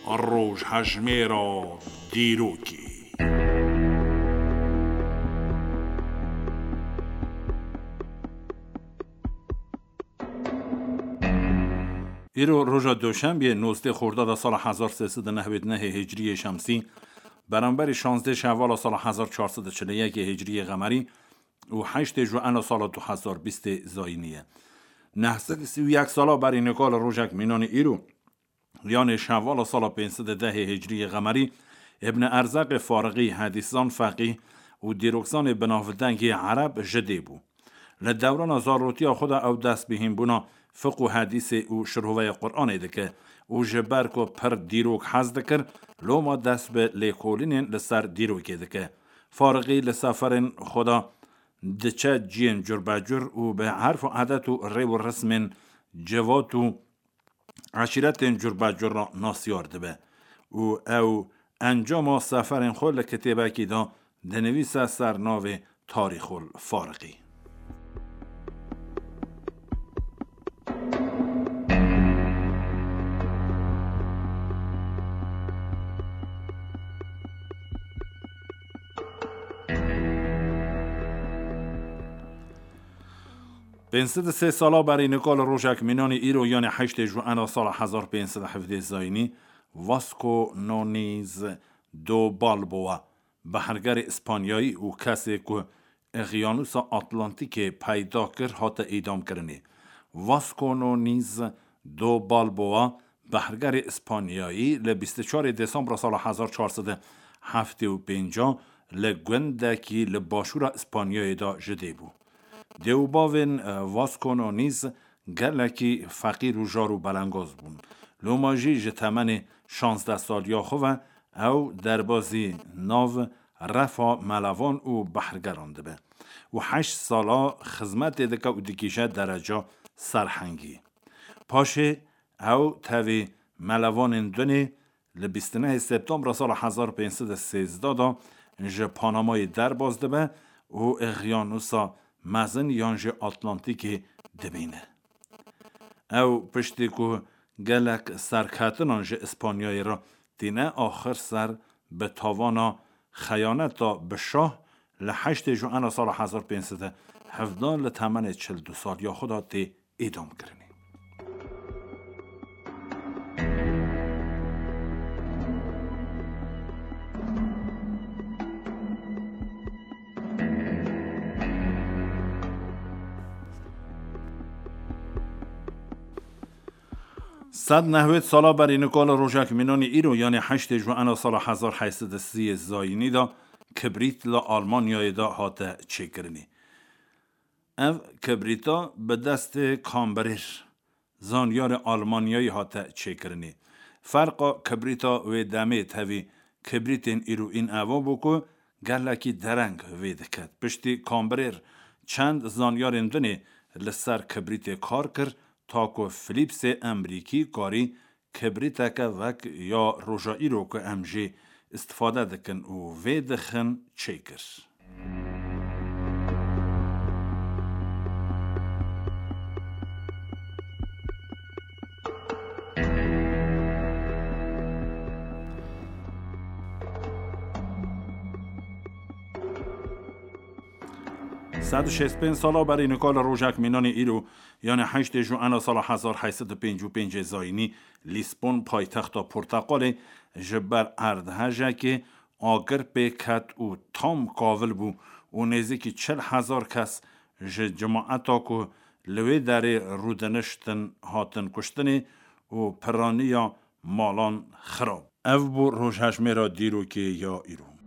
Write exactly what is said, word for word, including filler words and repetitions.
Rojhejmêra dîrokê. Îro roja Doşembiyê, nozdeh Xordada sala hezar sê sed û nehwêd nehê Hicriyê Şemsî, beramberî şazdeh Şevala sala hezar çar sed û çil û yekê Hicriyê Qemerî û heştê Juena sala du hezar bîstê Zayînî ye. Neh sed û sî û yek sala berî nika li rojek mînanî îro, yanê Şevala sala pênc sed û dehê Hicriyê Qemerî, Îbn Erzaqê Farixî, hedîszan, feqîh û dîrokzanê binavdengê ereb ji dê bû. Li dewrana zarotiya xwe de ew dest bi hînbûna fiq û hedîsê û şiroveyê Quranê dike û ji ber ku pir dîrok hez dikir, loma dest bi lêkolînên li ser dîrokê dike. Farixî li seferên xwe de diçe ciyên curbecur û bi erf û edet û rê û rismên civat û eşîretên curbecur re nasyar dibe û ew encama seferên xwe li kitêbekî de dinivîse ser navê Tarîxul Farixî. Pênc sed û sê sala berî nika li rojek mînanî îro, yanê heştê Juena sala hezar pênc sed û hevdeh Zayînî, Vasco Noniz do Balboa, behrgerê Îspanyayî û kesê ku Eqyanûsa Atlantîkê peyda kir, hate îdamkirinê. Vasco Noniz do Balboa, behrgerê Îspanyayî, li bîst û çarê Desembra sala hezar çar sed û heftê û pênc li gundekî li başûra Îspanyayê de ji dê bû. Dê û bavên, e, Vasco Noniz gelekî feqîr û jar û belengaz bûn. Loma jî ji temenê şazdeh saliya xwe ve ew derbazî nav refa melevan û behrgeran dibe û heşt sala xizmetê dike û digihîje dereca serhengî. Paşê ew tevî melevanên dunê li bîst û nehê Septembra sala hezar pênc sed û sêzdeh de ji Panamayê derbas dibe û Eqyanûsa Mezin yan jî Atlantîkê dibîne. Ew piştî ku gelek serketinan ji Îspanyayê re tîne, axir ser bi tavana xeyaneta bi şah li heştê Juena sala hezar pênc sed û hevdeh li temenê çil du saliya xwe de tê îdamkirinê. Sed nehwêd sala berî nika li rojek mînanî îro, yanê heştê Juena sala hezar heyt sed û sî Zayînî de, kibrît li Almanyayê de hate çêkirinê. Ev kibrîta bi destê Kambrêr, zanyarê Almanyayî, hate çêkirinê. Ferqa kibrîta wê demê tevî kibrîtên îroîn eva bû ku gelekî dereng vê diket. Piştî Kambrêr çend zanyarên dinê li ser kibrîtê kar kir, ta ku Philipsê Emrîkî karî kibrîteke wek ya roja îro ku em jê îstifade dikin û vê dixin çêkir. Sed û şêst pênc sala berî nika li rojek mînanê îro, yanê heştê Juena sala hezar heyt sed û pêncî û pêncê Zayînî, Lîsbon, paytexta Porteqalê, ji ber erdhejekê agir pê ket û tam kavil bû û nêzîkî çil hezar kes ji cemaeta ku li wê derê rûdiniştin hatin kuştinê û piraniya malan xirab. Ev bû rojhejmêra dîrokê ya îro.